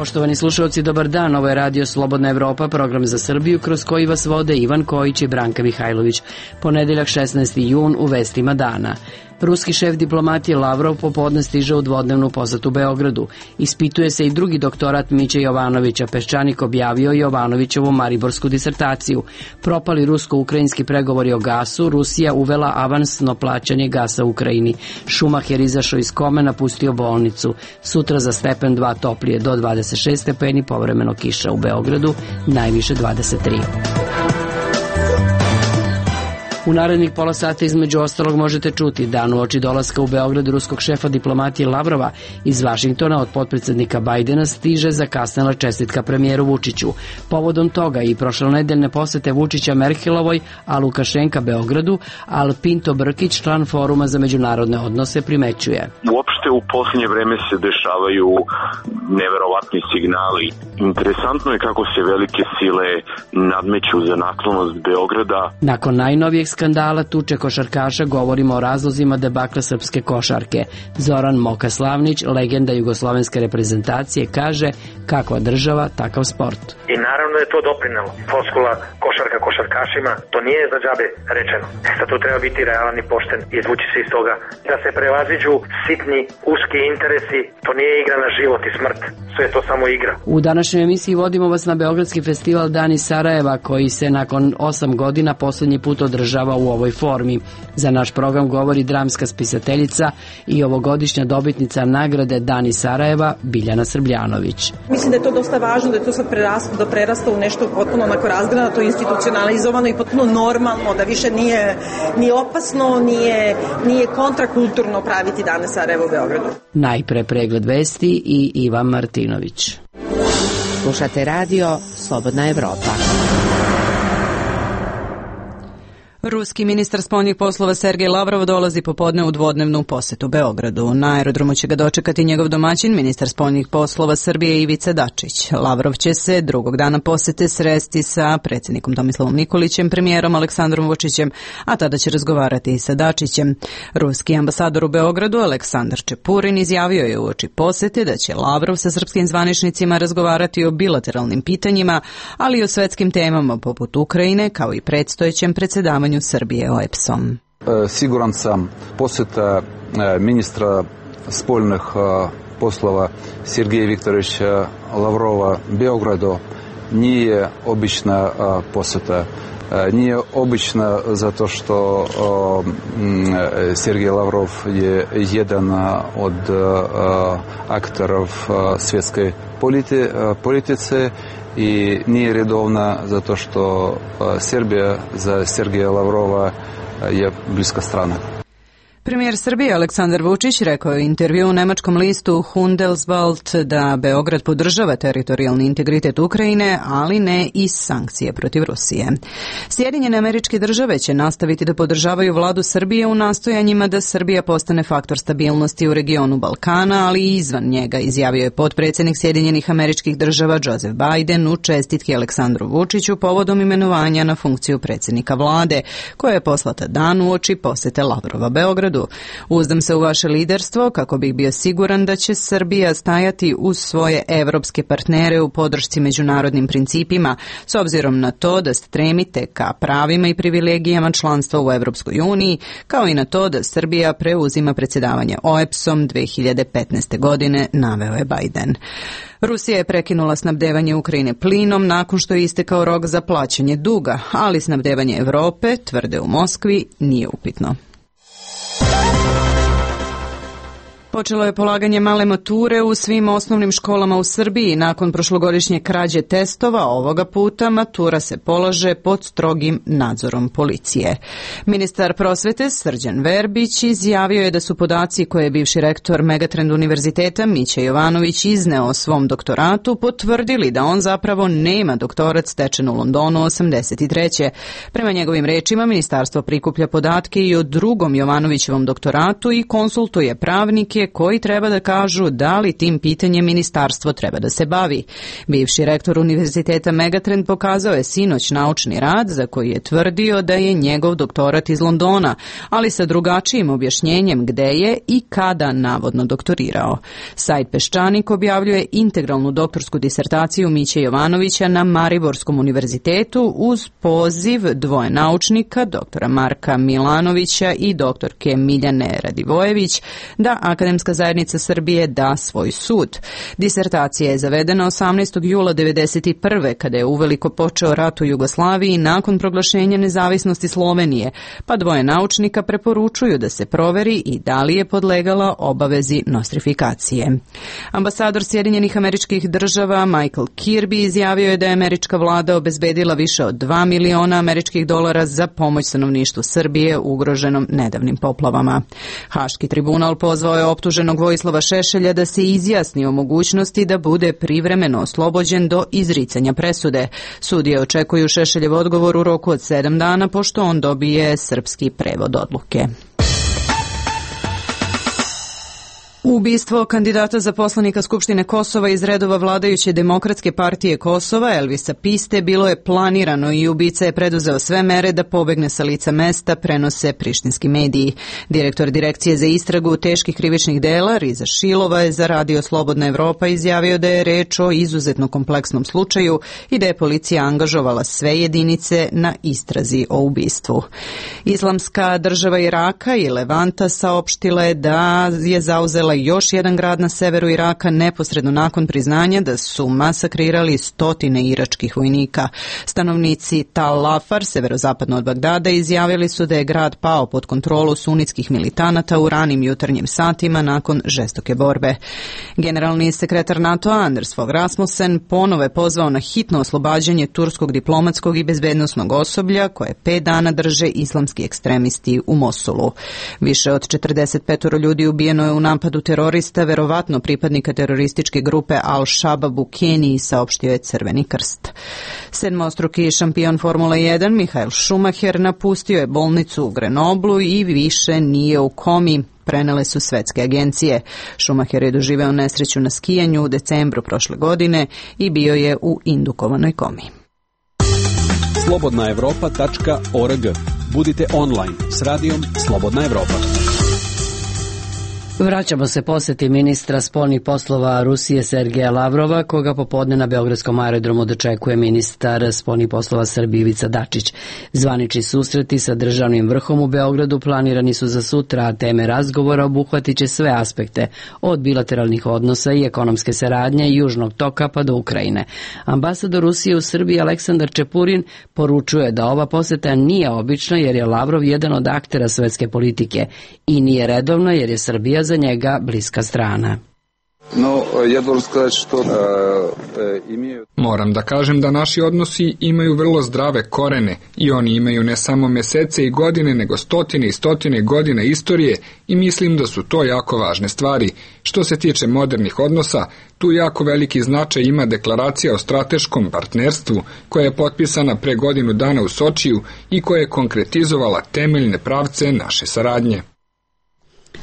Poštovani slušalci, dobar dan. Ovo je Radio Slobodna Evropa, program za Srbiju kroz koji vas vode Ivan Kojić i Branka Mihajlović. Ponedeljak 16. jun u vestima dana. Ruski šef diplomatije Lavrov popodne stiže u dvodnevnu posetu Beogradu. Ispituje se i drugi doktorat Miće Jovanovića. Peščanik objavio Jovanovićevu mariborsku disertaciju. Propali rusko-ukrajinski pregovori o gasu, Rusija uvela avansno plaćanje gasa u Ukrajini. Šumacher izašao iz kome, napustio bolnicu. Sutra za stepen 2 toplije do 26 stepeni, povremeno kiša u Beogradu, najviše 23. U narednih pola sata između ostalog možete čuti dan uoči dolaska u Beograd ruskog šefa diplomatije Lavrova iz Vašingtona od potpredsednika Bajdena stiže zakasnela čestitka premijeru Vučiću. Povodom toga i prošlonedeljne posete Vučića Merkelovoj, a Lukašenka Beogradu, Al Pinto Brkić, član Foruma za međunarodne odnose, primećuje. Uopšte u posljednje vreme se dešavaju neverovatni signali. Interesantno je kako se velike sile nadmeću za naklonost Beograda. Nakon najnovijeg skandala tuče košarkaša govorimo o razlozima debakla srpske košarke. Zoran Moka Slavnić, legenda jugoslovenske reprezentacije, kaže kakva država, takav sport. I naravno je to doprinelo. Floskula košarka košarkašima, to nije za džabe rečeno. Sad tu treba biti realan i pošten i izvući se iz toga. Da se prevaziđu sitni, uski interesi, to nije igra na život i smrt. Sve je to samo igra. U današnjoj emisiji vodimo vas na Beogradski festival Dani Sarajeva, koji se nakon 8 godina poslednji put održava u ovoj formi. Za naš program govori dramska spisateljica i ovogodišnja dobitnica nagrade Dani Sarajeva, Biljana Srbljanović. Mislim da je to dosta važno, da je to sad prerasta u nešto potpuno onako razgranato, institucionalizovano i potpuno normalno, da više nije opasno, nije kontrakulturno praviti Dane Sarajeva u Beogradu. Najpre pregled vesti i Ivan Martinović. Slušate radio Slobodna Evropa. Ruski ministar spoljnih poslova Sergej Lavrov dolazi popodne u dvodnevnu posetu Beogradu. Na aerodromu će ga dočekati njegov domaćin, ministar spoljnih poslova Srbije Ivica Dačić. Lavrov će se drugog dana posete sresti sa predsjednikom Tomislavom Nikolićem, premijerom Aleksandrom Vučićem, a tada će razgovarati i sa Dačićem. Ruski ambasador u Beogradu Aleksandar Čepurin izjavio je uoči posete da će Lavrov sa srpskim zvaničnicima razgovarati o bilateralnim pitanjima, ali i o svetskim temama poput Ukrajine, kao i predstojećem predsjedavanju Srbije OEBS-om. Siguran sam posjeta ministra spoljnih poslova Sergeja Viktorovича Lavrova Beogradu nije obična posjeta. Nije obična zato što Sergej Lavrov je jedan od aktorov svjetske politice i nije redovna zato što Srbija za Sergeja Lavrova je bliska strana. Premijer Srbije Aleksandar Vučić rekao je u intervju u nemačkom listu Handelsblatt da Beograd podržava teritorijalni integritet Ukrajine, ali ne i sankcije protiv Rusije. Sjedinjene Američke Države će nastaviti da podržavaju vladu Srbije u nastojanjima da Srbija postane faktor stabilnosti u regionu Balkana, ali i izvan njega, izjavio je potpredsjednik Sjedinjenih Američkih Država Joseph Biden u čestitki Aleksandru Vučiću povodom imenovanja na funkciju predsjednika vlade, koja je poslata dan uoči posete Lavrova Beogradu. Uzdam se u vaše liderstvo kako bih bio siguran da će Srbija stajati uz svoje evropske partnere u podršci međunarodnim principima, s obzirom na to da stremite ka pravima i privilegijama članstva u Evropskoj uniji, kao i na to da Srbija preuzima predsjedavanje OEBS-om 2015. godine, naveo je Biden. Rusija je prekinula snabdevanje Ukrajine plinom nakon što je istekao rok za plaćanje duga, ali snabdevanje Evrope, tvrde u Moskvi, nije upitno. Počelo je polaganje male mature u svim osnovnim školama u Srbiji. Nakon prošlogodišnje krađe testova, ovoga puta matura se polaže pod strogim nadzorom policije. Ministar prosvete Srđan Verbić izjavio je da su podaci koje je bivši rektor Megatrend univerziteta Mića Jovanović izneo o svom doktoratu potvrdili da on zapravo nema doktorat stečen u Londonu 83. Prema njegovim rečima, ministarstvo prikuplja podatke i o drugom Jovanovićevom doktoratu i konsultuje pravnike koji treba da kažu da li tim pitanjem ministarstvo treba da se bavi. Bivši rektor Univerziteta Megatrend pokazao je sinoć naučni rad za koji je tvrdio da je njegov doktorat iz Londona, ali sa drugačijim objašnjenjem gde je i kada navodno doktorirao. Sajt Peščanik objavljuje integralnu doktorsku disertaciju Miće Jovanovića na Mariborskom univerzitetu uz poziv dvoje naučnika, doktora Marka Milanovića i doktorke Miljane Radivojević, da Akademska zajednica Srbije da svoj sud. Disertacija je zavedena 18. jula 1991. kada je uveliko počeo rat u Jugoslaviji nakon proglašenja nezavisnosti Slovenije, pa dvoje naučnika preporučuju da se proveri i da li je podlegala obavezi nostrifikacije. Ambasador Sjedinjenih Američkih Država Michael Kirby izjavio je da je američka vlada obezbedila više od $2 miliona za pomoć stanovništvu Srbije ugroženom nedavnim poplavama. Haški tribunal pozvao je optuženog Vojislava Šešelja da se izjasni o mogućnosti da bude privremeno oslobođen do izricanja presude. Sudije očekuju Šešeljev odgovor u roku od 7 dana pošto on dobije srpski prevod odluke. Ubistvo kandidata za poslanika Skupštine Kosova iz redova vladajuće Demokratske partije Kosova, Elvisa Piste, bilo je planirano i ubica je preduzeo sve mere da pobegne sa lica mesta, prenose prištinski mediji. Direktor Direkcije za istragu teških krivičnih dela, Riza Šilova, je za Radio Slobodna Evropa izjavio da je reč o izuzetno kompleksnom slučaju i da je policija angažovala sve jedinice na istrazi o ubistvu. Islamska država Iraka i Levanta saopštila je da je zauzela još jedan grad na severu Iraka neposredno nakon priznanja da su masakrirali 100 iračkih vojnika. Stanovnici Tal Afar, severozapadno od Bagdada, izjavili su da je grad pao pod kontrolu sunitskih militanata u ranim jutarnjim satima nakon žestoke borbe. Generalni sekretar NATO-a Anders Fogh Rasmussen ponovo je pozvao na hitno oslobađanje turskog diplomatskog i bezbednosnog osoblja koje 5 dana drže islamski ekstremisti u Mosulu. Više od 45 ljudi ubijeno je u napadu terorista, verovatno pripadnika terorističke grupe Al-Shabaab u Keniji, saopštio je Crveni krst. Sedmostruki šampion Formule 1 Michael Schumacher napustio je bolnicu u Grenoblu i više nije u komi, prenele su svetske agencije. Schumacher je doživeo nesreću na skijanju u decembru prošle godine i bio je u indukovanoj komi. slobodnaevropa.org. Budite online s radijom Slobodna Evropa. Vraćamo se poseti ministra spoljnih poslova Rusije Sergeja Lavrova, koga popodne na Beogradskom aerodromu dočekuje ministar spoljnih poslova Srbije Ivica Dačić. Zvanični susreti sa državnim vrhom u Beogradu planirani su za sutra, a teme razgovora obuhvatit će sve aspekte, od bilateralnih odnosa i ekonomske saradnje Južnog toka pa do Ukrajine. Ambasador Rusije u Srbiji Aleksandar Čepurin poručuje da ova poseta nije obična jer je Lavrov jedan od aktera svetske politike i nije redovna jer je Srbija za njega bliska strana. Moram da kažem da naši odnosi imaju vrlo zdrave korene i oni imaju ne samo mesece i godine, nego stotine i stotine godina istorije i mislim da su to jako važne stvari. Što se tiče modernih odnosa, tu jako veliki značaj ima deklaracija o strateškom partnerstvu koja je potpisana pre godinu dana u Sočiju i koja je konkretizovala temeljne pravce naše saradnje.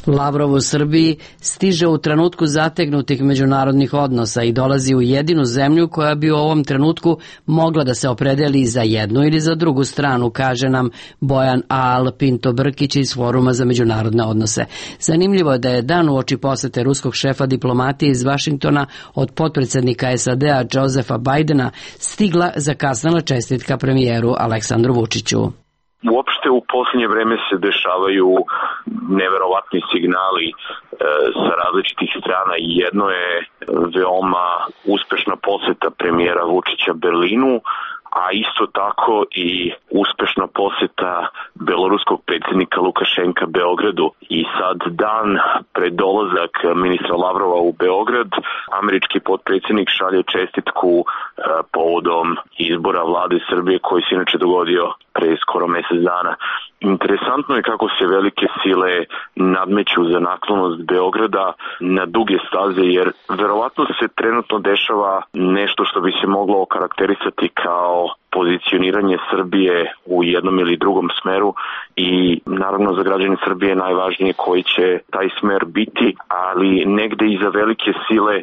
Lavrov u Srbiji stiže u trenutku zategnutih međunarodnih odnosa i dolazi u jedinu zemlju koja bi u ovom trenutku mogla da se opredeli za jednu ili za drugu stranu, kaže nam Bojan Al Pinto Brkić iz Foruma za međunarodne odnose. Zanimljivo je da je dan uoči posete ruskog šefa diplomatije iz Vašingtona od potpredsjednika SAD-a Josefa Bajdena stigla zakasnela čestitka premijeru Aleksandru Vučiću. Uopšte u posljednje vreme se dešavaju neverovatni signali sa različitih strana. Jedno je veoma uspešna poseta premijera Vučića Berlinu, a isto tako i uspešna poseta beloruskog predsjednika Lukašenka Beogradu. I sad dan pred dolazak ministra Lavrova u Beograd, američki potpredsjednik šalje čestitku povodom izbora vlade Srbije koji se inače dogodio pre skoro mjesec dana. Interesantno je kako se velike sile nadmeću za naklonost Beograda na duge staze, jer verovatno se trenutno dešava nešto što bi se moglo okarakterisati kao pozicioniranje Srbije u jednom ili drugom smeru i naravno za građane Srbije je najvažnije koji će taj smer biti, ali negde i za velike sile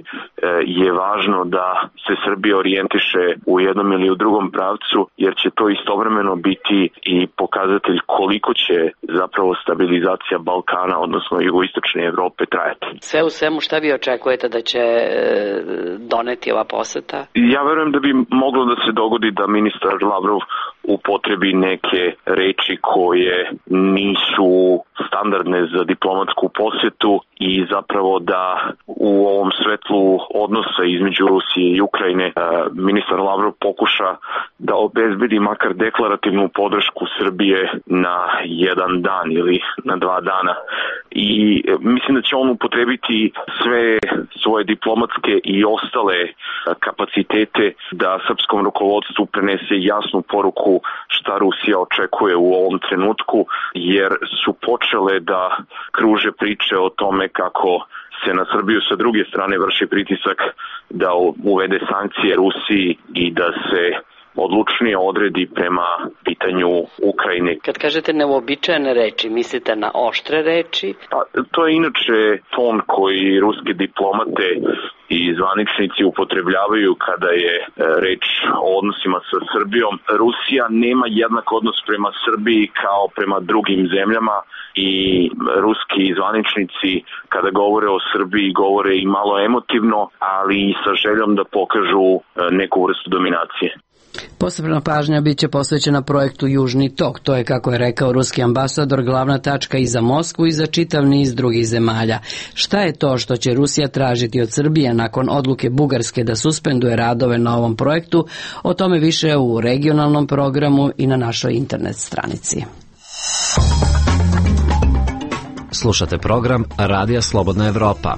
je važno da se Srbija orijentiše u jednom ili u drugom pravcu, jer će to istovremeno biti i pokazatelj koliko će zapravo stabilizacija Balkana, odnosno jugoistočne Evrope trajati. Sve u svemu, šta vi očekujete da će doneti ova poseta? Ja verujem da bi moglo da se dogodi da ministar Lavrov upotrebi neke reči koje nisu standardne za diplomatsku posjetu i zapravo da u ovom svetlu odnosa između Rusije i Ukrajine ministar Lavrov pokuša da obezbedi makar deklarativnu podršku Srbije na jedan dan ili na 2 dana. I mislim da će on upotrebiti sve svoje diplomatske i ostale kapacitete da srpskom rukovodstvu prenese jasnu poruku šta Rusija očekuje u ovom trenutku, jer su počele da kruže priče o tome kako se na Srbiju sa druge strane vrši pritisak da uvede sankcije Rusiji i da se odlučnije odredi prema pitanju Ukrajine. Kad kažete neuobičajene reči, mislite na oštre reči? Pa, to je inače ton koji ruske diplomate i zvaničnici upotrebljavaju kada je reč o odnosima sa Srbijom. Rusija nema jednak odnos prema Srbiji kao prema drugim zemljama i ruski zvaničnici kada govore o Srbiji govore i malo emotivno, ali i sa željom da pokažu neku vrstu dominacije. Posebna pažnja biće posvećena projektu Južni tok. To je, kako je rekao ruski ambasador, glavna tačka i za Moskvu i za čitav niz drugih zemalja. Šta je to što će Rusija tražiti od Srbije nakon odluke Bugarske da suspenduje radove na ovom projektu? O tome više u regionalnom programu i na našoj internet stranici. Slušate program Radija Slobodna Evropa.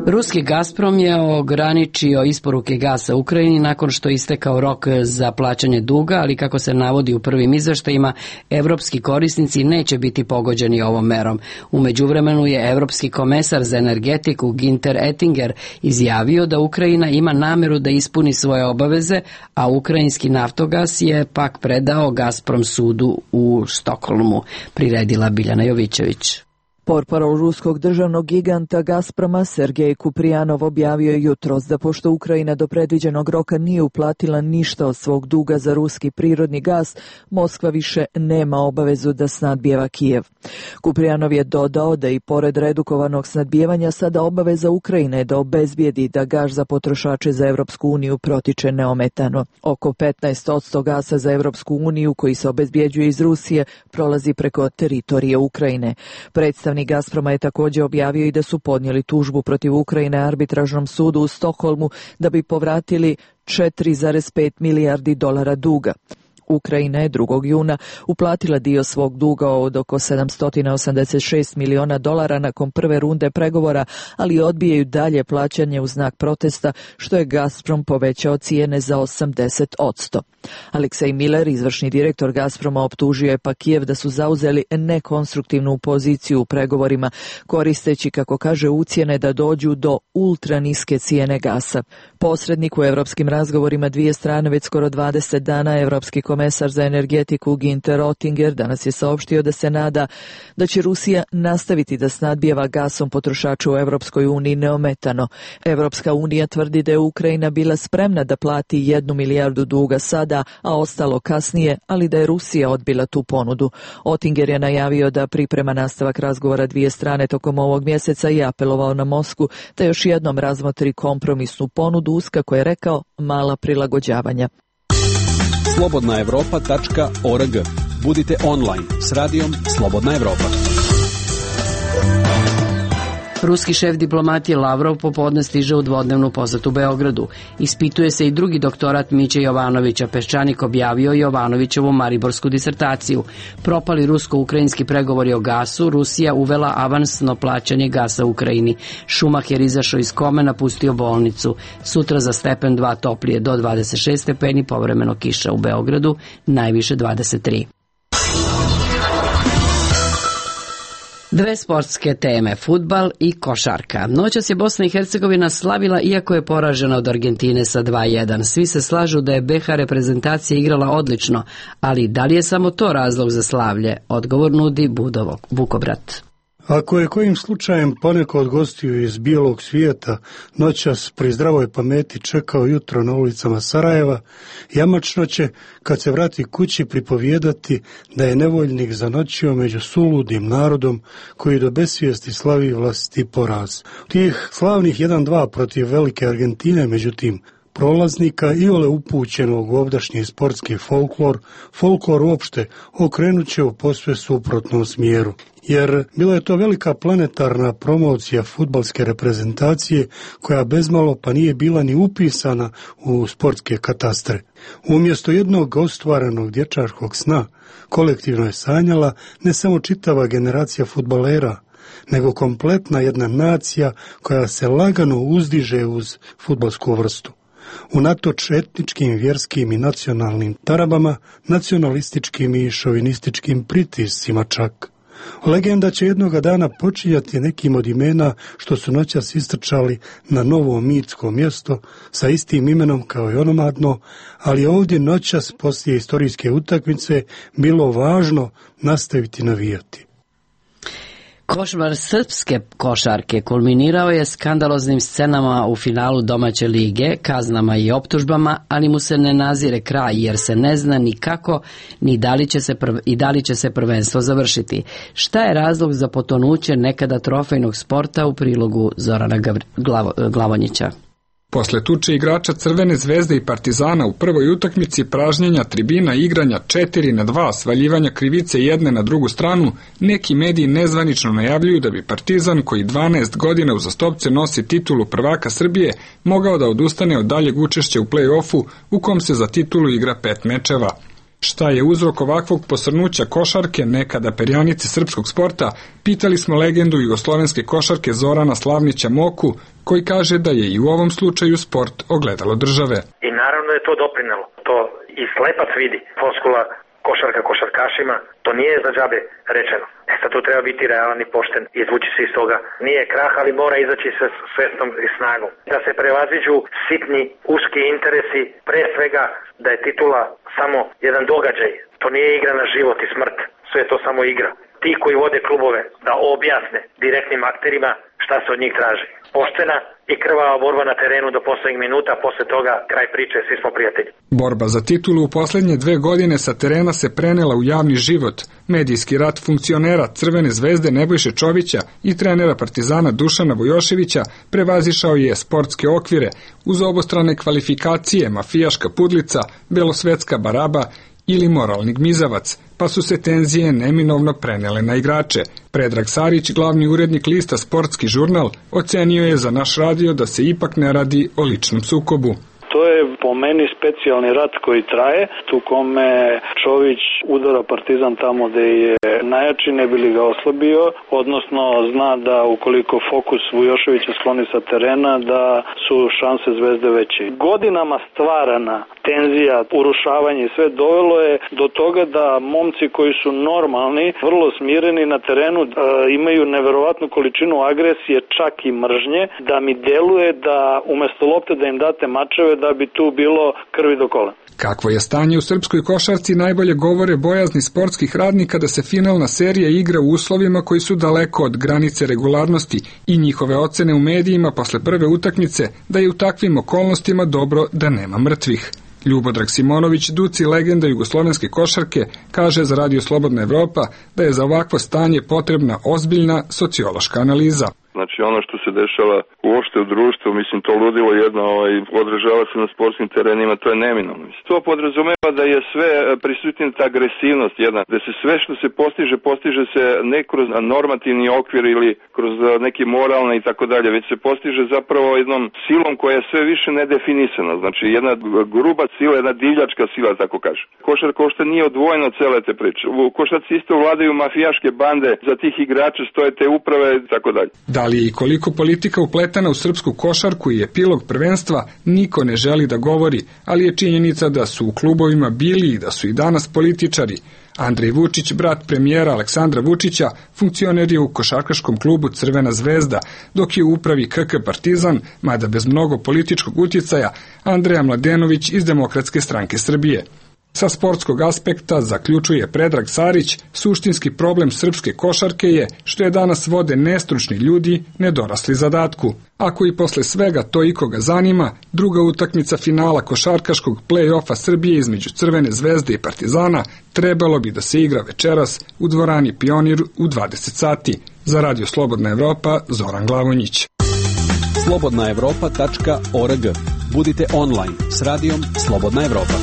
Ruski Gazprom je ograničio isporuke gasa Ukrajini nakon što je istekao rok za plaćanje duga, ali kako se navodi u prvim izveštajima, evropski korisnici neće biti pogođeni ovom merom. U međuvremenu je evropski komesar za energetiku Günther Oettinger izjavio da Ukrajina ima nameru da ispuni svoje obaveze, a ukrajinski Naftogas je pak predao Gazprom sudu u Stokholmu, priredila Biljana Jovićević. Portparol ruskog državnog giganta Gazproma Sergej Kuprijanov objavio je jutros da pošto Ukrajina do predviđenog roka nije uplatila ništa od svog duga za ruski prirodni gas, Moskva više nema obavezu da snadbijeva Kijev. Kuprijanov je dodao da i pored redukovanog snadbijevanja sada obaveza Ukrajine da obezbijedi da gas za potrošače za Evropsku uniju protiče neometano. Oko 15% gasa za Evropsku uniju koji se obezbjeđuje iz Rusije prolazi preko teritorije Ukrajine. Predstavnik Gazproma je također objavio i da su podnijeli tužbu protiv Ukrajine arbitražnom sudu u Stokholmu da bi povratili 4,5 milijardi dolara duga. Ukrajina je 2. juna uplatila dio svog duga od oko 786 miliona dolara nakon prve runde pregovora, ali odbijaju dalje plaćanje u znak protesta, što je Gazprom povećao cijene za 80%. Aleksej Miller, izvršni direktor Gazproma, optužio je pa Kijev da su zauzeli nekonstruktivnu poziciju u pregovorima, koristeći, kako kaže, ucjene da dođu do ultraniske cijene gasa. Posrednik u evropskim razgovorima dvije strane već skoro 20 dana, evropski komesar za energetiku Günther Oettinger danas je saopštio da se nada da će Rusija nastaviti da snadbijeva gasom potrošače u Evropskoj uniji neometano. Evropska unija tvrdi da je Ukrajina bila spremna da plati 1 milijardu duga sada, a ostalo kasnije, ali da je Rusija odbila tu ponudu. Oettinger je najavio da priprema nastavak razgovora dvije strane tokom ovog mjeseca i apelovao na Moskvu da još jednom razmotri kompromisnu ponudu uz, kako je rekao, mala prilagođavanja. slobodnaevropa.org. Budite online s radijom Slobodna Evropa. Ruski šef diplomatije Lavrov popodne stiže u dvodnevnu posetu Beogradu. Ispituje se i drugi doktorat Miće Jovanovića. Peščanik objavio Jovanovićevu mariborsku disertaciju. Propali rusko-ukrajinski pregovori o gasu, Rusija uvela avansno plaćanje gasa u Ukrajini. Schumacher izašao iz kome, napustio bolnicu. Sutra za stepen 2 toplije do 26 stepeni, povremeno kiša u Beogradu, najviše 23. Dve sportske teme, fudbal i košarka. Noćas je Bosna i Hercegovina slavila iako je poražena od Argentine sa 2:1. Svi se slažu da je BiH reprezentacija igrala odlično, ali da li je samo to razlog za slavlje? Odgovor nudi Budov Bukobrat. Ako je kojim slučajem poneko od gostiju iz bijelog svijeta noćas pri zdravoj pameti čekao jutro na ulicama Sarajeva, jamačno će, kad se vrati kući, pripovijedati da je nevoljnik zanoćio među suludim narodom koji do besvijesti slavi vlastiti poraz. Tih slavnih 1:2 protiv velike Argentine, međutim, prolaznika iole upućenog u ovdašnji sportski folklor uopšte okrenut će u posve suprotnom smjeru. Jer bila je to velika planetarna promocija fudbalske reprezentacije koja bezmalo pa nije bila ni upisana u sportske katastre. Umjesto jednog ostvarenog dječačkog sna, kolektivno je sanjala ne samo čitava generacija fudbalera, nego kompletna jedna nacija koja se lagano uzdiže uz fudbalsku vrstu. Unatoč etničkim, vjerskim i nacionalnim tarabama, nacionalističkim i šovinističkim pritiscima čak. Legenda će jednoga dana počinjati nekim od imena što su noćas istrčali na novo mitsko mjesto sa istim imenom kao i onomadno, ali ovdje noćas poslije istorijske utakmice bilo važno nastaviti navijati. Košmar srpske košarke kulminirao je skandaloznim scenama u finalu domaće lige, kaznama i optužbama, ali mu se ne nazire kraj jer se ne zna ni kako ni da li će se prvenstvo završiti. Šta je razlog za potonuće nekada trofejnog sporta u prilogu Zorana Glavonjića? Posle tuče igrača Crvene zvezde i Partizana u prvoj utakmici, pražnjenja tribina, igranja 4:2, svaljivanja krivice jedne na drugu stranu, neki mediji nezvanično najavljuju da bi Partizan, koji 12 godina uzastopce nosi titulu prvaka Srbije, mogao da odustane od daljeg učešća u play-offu u kom se za titulu igra 5 mečeva. Šta je uzrok ovakvog posrnuća košarke, nekada perjanice srpskog sporta, pitali smo legendu jugoslovenske košarke Zorana Slavnića Moku, koji kaže da je i u ovom slučaju sport ogledalo države. I naravno je to doprinelo. To i slepac vidi. Floskula košarka košarkašima, to nije za džabe rečeno. Sad tu treba biti realan i pošten, izvući se iz toga. Nije krah, ali mora izaći sa svestom i snagom. Da se prevaziđu sitni, uski interesi, pre svega da je titula samo jedan događaj. To nije igra na život i smrt, sve je to samo igra. Ti koji vode klubove da objasne direktnim akterima šta se od njih traži. Poštena i krvava borba na terenu do poslednjih minuta, posle toga kraj priče, svi smo prijatelji. Borba za titulu u posljednje 2 godine sa terena se prenela u javni život. Medijski rat funkcionera Crvene zvezde Nebojše Čovića i trenera Partizana Dušana Vujoševića prevazišao je sportske okvire uz obostrane kvalifikacije, mafijaška pudlica, belosvetska baraba ili moralni gmizavac, pa su se tenzije neminovno prenele na igrače. Predrag Sarić, glavni urednik lista Sportski žurnal, ocenio je za naš radio da se ipak ne radi o ličnom sukobu. To je po meni specijalni rat koji traje, tu kome Čović udara Partizan tamo gde je najjači, ne bi li ga oslabio, odnosno zna da ukoliko fokus Vujoševića skloni sa terena, da su šanse Zvezde veće. Godinama stvarana tenzija, urušavanje i sve dovelo je do toga da momci koji su normalni, vrlo smireni na terenu, imaju neverovatnu količinu agresije, čak i mržnje, da mi deluje da umesto lopte da im date mačeve, da bi tu bilo krvi do kola. Kakvo je stanje u srpskoj košarci najbolje govore bojazni sportskih radnika da se finalna serija igra u uslovima koji su daleko od granice regularnosti i njihove ocene u medijima posle prve utakmice da je u takvim okolnostima dobro da nema mrtvih. Ljubodrag Simonović, Duci legenda jugoslovenske košarke, kaže za Radio Slobodna Evropa da je za ovakvo stanje potrebna ozbiljna sociološka analiza. Znači ono što se dešava uopšte u društvu, mislim to ludilo jedno odražava se na sportskim terenima, to je neminovno. To podrazumeva da je sve prisutna ta agresivnost jedna, da se sve što se postiže se ne kroz normativni okvir ili kroz neki moralne i tako dalje, već se postiže zapravo jednom silom koja je sve više nedefinisana. Znači jedna gruba sila, jedna divljačka sila, tako kaže. Košarka uopšte nije odvojena od cele te priče. U košarci isto vladaju mafijaške bande, za tih igrača stoje te uprave i tako dalje. Da li je i koliko politika upletana u srpsku košarku i epilog prvenstva, niko ne želi da govori, ali je činjenica da su u klubovima bili i da su i danas političari, Andrej Vučić, brat premijera Aleksandra Vučića, funkcioner je u košarkaškom klubu Crvena zvezda, dok je u upravi KK Partizan, mada bez mnogo političkog utjecaja, Andreja Mladenović iz Demokratske stranke Srbije. Sa sportskog aspekta, zaključuje Predrag Sarić, suštinski problem srpske košarke je što je danas vode nestručni ljudi nedorasli zadatku. Ako i posle svega to ikoga zanima, druga utakmica finala košarkaškog play-offa Srbije između Crvene zvezde i Partizana trebalo bi da se igra večeras u dvorani Pionir u 20 sati. Za Radio Slobodna Evropa, Zoran Glavonjić. slobodnaevropa.org. Budite online s radijom Slobodna Evropa.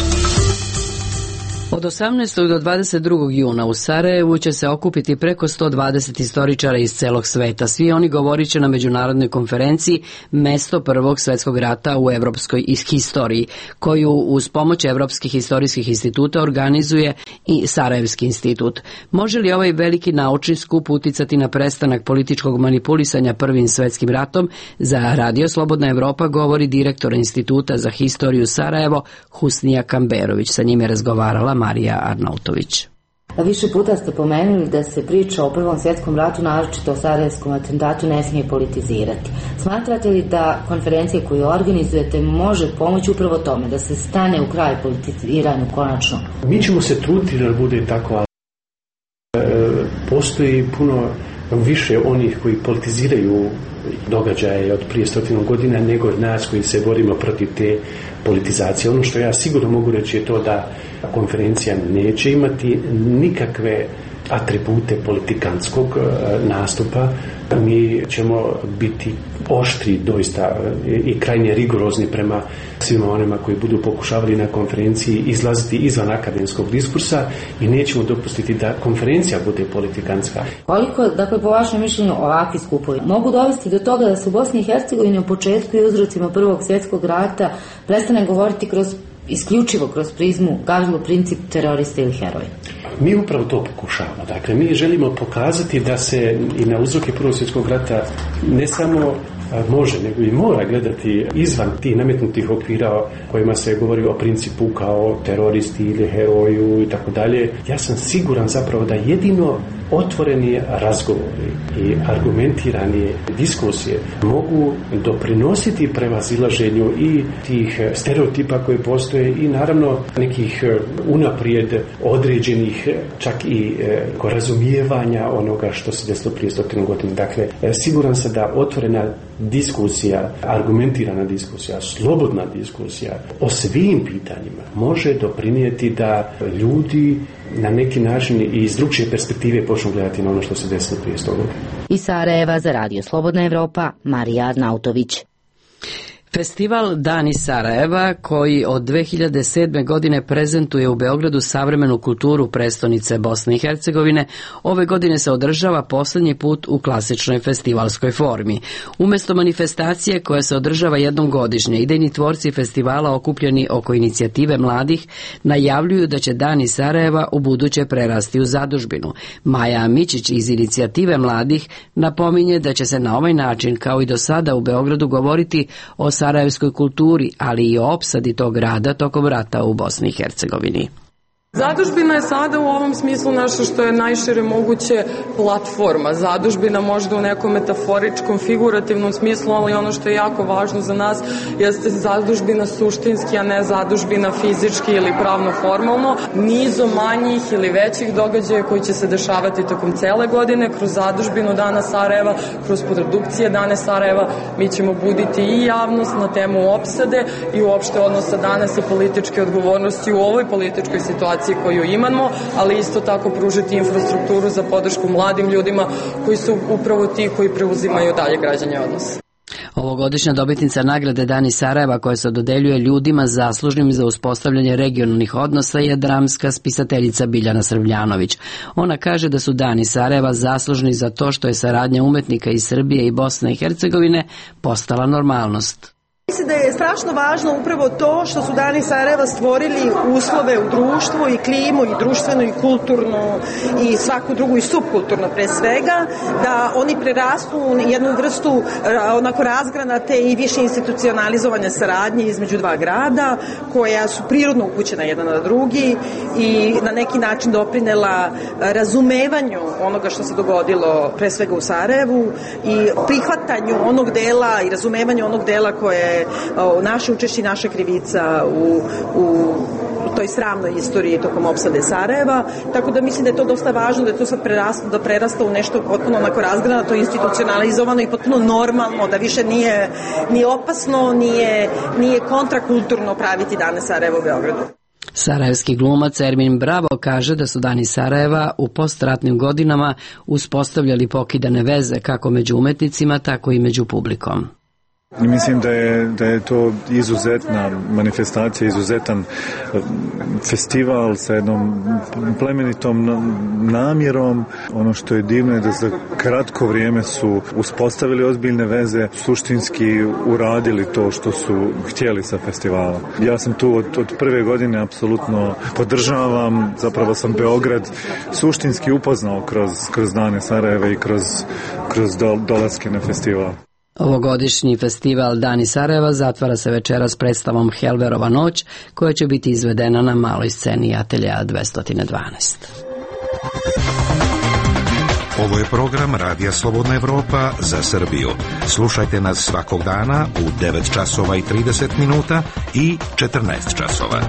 Od 18. do 22. juna u Sarajevu će se okupiti preko 120 istoričara iz celog sveta. Svi oni govorit će na međunarodnoj konferenciji Mesto Prvog svjetskog rata u evropskoj historiji, koju uz pomoć Evropskih historijskih instituta organizuje i Sarajevski institut. Može li ovaj veliki naučni skup uticati na prestanak političkog manipulisanja Prvim svjetskim ratom? Za Radio Slobodna Evropa govori direktor Instituta za historiju Sarajevo Husnija Kamberović. Sa njim je razgovarala Marija Arnautović. Više puta ste pomenuli da se priča o Prvom svjetskom ratu, naročito o sarajevskom atentatu, ne smije politizirati. Smatrate li da konferencija koju organizujete može pomoći upravo tome, da se stane u kraj politiziranju konačno? Mi ćemo se truditi da bude tako. Postoji puno više onih koji politiziraju događaje od prije 100 godina nego od nas koji se borimo protiv te politizacije. Ono što ja sigurno mogu reći je to da konferencija neće imati nikakve atribute politikantskog nastupa. Mi ćemo biti oštri doista i krajnje rigorozni prema svima onima koji budu pokušavali na konferenciji izlaziti izvan akademskog diskursa i nećemo dopustiti da konferencija bude politikantska. Koliko, dakle, po vašem mišljenju ovakvi skupovi mogu dovesti do toga da se u Bosni i Hercegovini u početku i uzrocima Prvog svjetskog rata prestane govoriti isključivo kroz prizmu, Gavrilo Princip, terorista ili heroja? Mi upravo to pokušavamo. Dakle, mi želimo pokazati da se i na uzroke Prvog svjetskog rata ne samo može, nego i mora gledati izvan tih nametnutih okvira kojima se govori o principu kao teroristi ili heroju i tako dalje. Ja sam siguran zapravo da jedino otvoreni razgovori i argumentirani diskusije mogu doprinositi prevazilaženju i tih stereotipa koji postoje i naravno nekih unaprijed određenih čak i razumijevanja onoga što se desilo prije 100 godina. Dakle, siguran sam da otvorena diskusija, argumentirana diskusija, slobodna diskusija o svim pitanjima može doprinijeti da ljudi na neki način i iz drugčije perspektive počnu gledati na ono što se desilo prije 100 godina. Iz Sarajeva za Radio Slobodna Evropa, Marija Arnautović. Festival Dani Sarajeva, koji od 2007. godine prezentuje u Beogradu savremenu kulturu prestonice Bosne i Hercegovine, ove godine se održava posljednji put u klasičnoj festivalskoj formi. Umjesto manifestacije koja se održava jednom godišnje, idejni tvorci festivala okupljeni oko inicijative mladih najavljuju da će Dani Sarajeva u buduće prerasti u zadužbinu. Maja Mićić iz inicijative mladih napominje da će se na ovaj način, kao i do sada u Beogradu, govoriti o sarajevskoj kulturi, ali i o opsadi tog grada tokom rata u Bosni i Hercegovini. Zadužbina je sada u ovom smislu nešto što je najšire moguće platforma. Zadužbina možda u nekom metaforičkom, figurativnom smislu, ali ono što je jako važno za nas jeste zadužbina suštinski, a ne zadužbina fizički ili pravno formalno. Nizom manjih ili većih događaja koji će se dešavati tokom cele godine, kroz zadužbinu Dana Sarajeva, kroz produkcije Dane Sarajeva, mi ćemo buditi i javnost na temu opsade i uopšte odnosa danas i političke odgovornosti u ovoj političkoj situaciji koju imamo, ali isto tako pružiti infrastrukturu za podršku mladim ljudima koji su upravo ti koji preuzimaju dalje građanje odnosa. Ovogodišnja dobitnica nagrade Dani Sarajeva, koja se dodeljuje ljudima zaslužnim za uspostavljanje regionalnih odnosa, je dramska spisateljica Biljana Srbljanović. Ona kaže da su Dani Sarajeva zaslužni za to što je saradnja umetnika iz Srbije i Bosne i Hercegovine postala normalnost. Mislim da je strašno važno upravo to što su Dani Sarajeva stvorili uslove u društvu i klimu i društvenu i kulturnu i svaku drugu i subkulturno pre svega, da oni prerastu u jednu vrstu onako razgranate i više institucionalizovane saradnje između dva grada koja su prirodno upućena jedan na drugi i na neki način doprinela razumevanju onoga što se dogodilo pre svega u Sarajevu i prihvatanju onog dela i razumevanju onog dela koje je naše učešće i naša krivica u toj sramnoj istoriji tokom opsade Sarajeva, tako da mislim da je to dosta važno, da je to sad prerasta u nešto potpuno onako razgranato, institucionalizovano i potpuno normalno, da više nije ni opasno, nije kontrakulturno praviti Dane Sarajeva u Beogradu. Sarajevski glumac Ermin Bravo kaže da su Dani Sarajeva u postratnim godinama uspostavljali pokidane veze kako među umetnicima, tako i među publikom. Mislim da je to izuzetna manifestacija, izuzetan festival sa jednom plemenitom namjerom. Ono što je divno je da za kratko vrijeme su uspostavili ozbiljne veze, suštinski uradili to što su htjeli sa festivala. Ja sam tu od prve godine apsolutno podržavam, zapravo sam Beograd suštinski upoznao kroz Dane Sarajeva i kroz dolaske na festival. Ovogodišnji festival Dani Sarajeva zatvara se večeras predstavom Helverova noć, koja će biti izvedena na maloj sceni Ateljea 212. Ovo je program Radija Slobodna Evropa za Srbiju. Slušajte nas svakog dana u 9 časova i 30 minuta i 14 časova.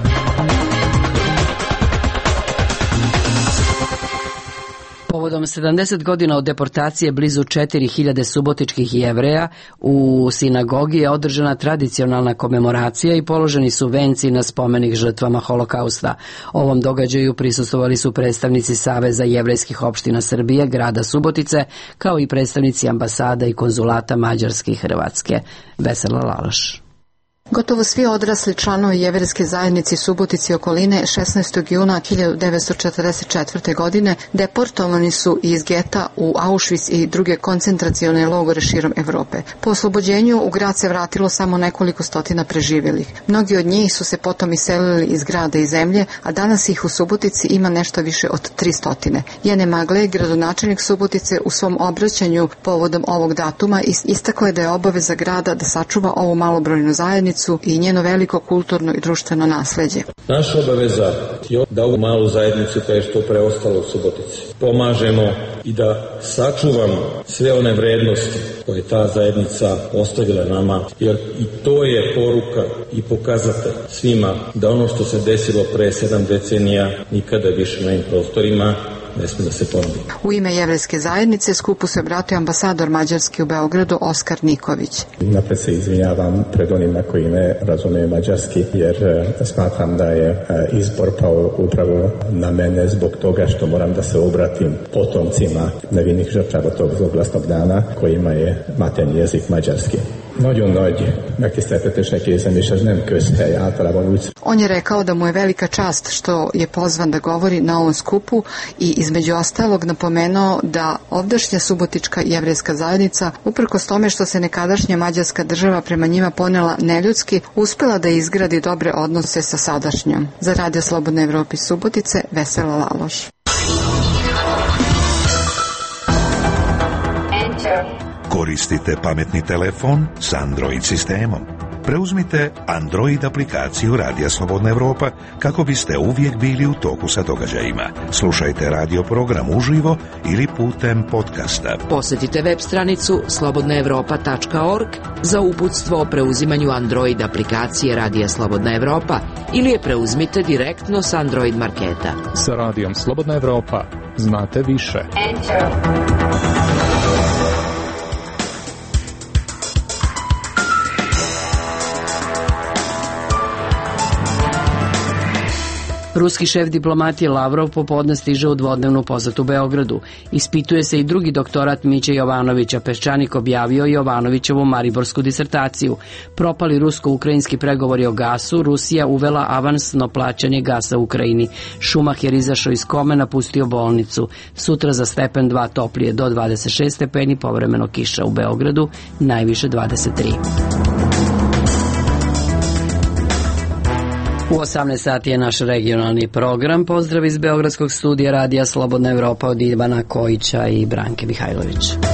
Povodom 70 godina od deportacije blizu 4000 subotičkih Jevreja u sinagogi je održana tradicionalna komemoracija i položeni su venci na spomenik žrtvama Holokausta. Ovom događaju prisustvovali su predstavnici Saveza jevrejskih opština Srbije, grada Subotice, kao i predstavnici ambasada i konzulata Mađarske i Hrvatske. Vesela Laloš. Gotovo svi odrasli članovi jevrejske zajednice Subotice i okoline 16. juna 1944. godine deportovani su iz geta u Auschwitz i druge koncentracione logore širom Evrope. Po oslobođenju u grad se vratilo samo nekoliko stotina preživjelih. Mnogi od njih su se potom iselili iz grada i zemlje, a danas ih u Subotici ima nešto više od 300. Jene Magle, gradonačelnik Subotice, u svom obraćanju povodom ovog datuma istakao je da je obaveza grada da sačuva ovu malobrojnu zajednicu i njeno veliko kulturno i društveno nasleđe. Naša obaveza je da ovu malu zajednicu koja je što preostalo u Subotici pomažemo i da sačuvamo sve one vrednosti koje ta zajednica ostavila nama, jer i to je poruka i pokazatelj svima da ono što se desilo pre 7 decenija nikada više na ovim prostorima ne smije da se ponovi. U ime jevrejske zajednice skupu se obratio ambasador Mađarske u Beogradu Oskar Niković. Napred se izvinjavam pred onima koji ne razumeju mađarski, jer smatram da je izbor pao upravo na mene zbog toga što moram da se obratim potomcima nevinih žrtava tog zloglasnog dana kojima je materni jezik mađarski. Nagyon nagy megtiszteltetésnek érzem, és ez nem közhely általában úgy. On je rekao da mu je velika čast što je pozvan da govori na ovom skupu i između ostalog napomenuo da ovdašnja subotička jevrejska zajednica, uprkos tome što se nekadašnja mađarska država prema njima ponela neljudski, uspela da izgradi dobre odnose sa sadašnjom. Za Radio Slobodne Evrope iz Subotice, Vesela Laloš. Koristite pametni telefon s Android sistemom. Preuzmite Android aplikaciju Radija Slobodna Evropa kako biste uvijek bili u toku sa događajima. Slušajte radio program uživo ili putem podcasta. Posjetite web stranicu slobodnaevropa.org za uputstvo o preuzimanju Android aplikacije Radija Slobodna Evropa ili je preuzmite direktno s Android marketa. Sa Radijom Slobodna Evropa znate više. Ruski šef diplomatije Lavrov popodne stiže u dvodnevnu posetu Beogradu. Ispituje se i drugi doktorat Miće Jovanovića. Peščanik objavio Jovanovićevu mariborsku disertaciju. Propali rusko-ukrajinski pregovori o gasu, Rusija uvela avansno plaćanje gasa u Ukrajini. Šumacher izašao iz kome, napustio bolnicu. Sutra za stepen 2 toplije do 26 stepeni, povremeno kiša u Beogradu, najviše 23. U 18 sati je naš regionalni program. Pozdrav iz Beogradskog studija Radija Slobodna Evropa od Ivana Kojića i Branke Mihajlović.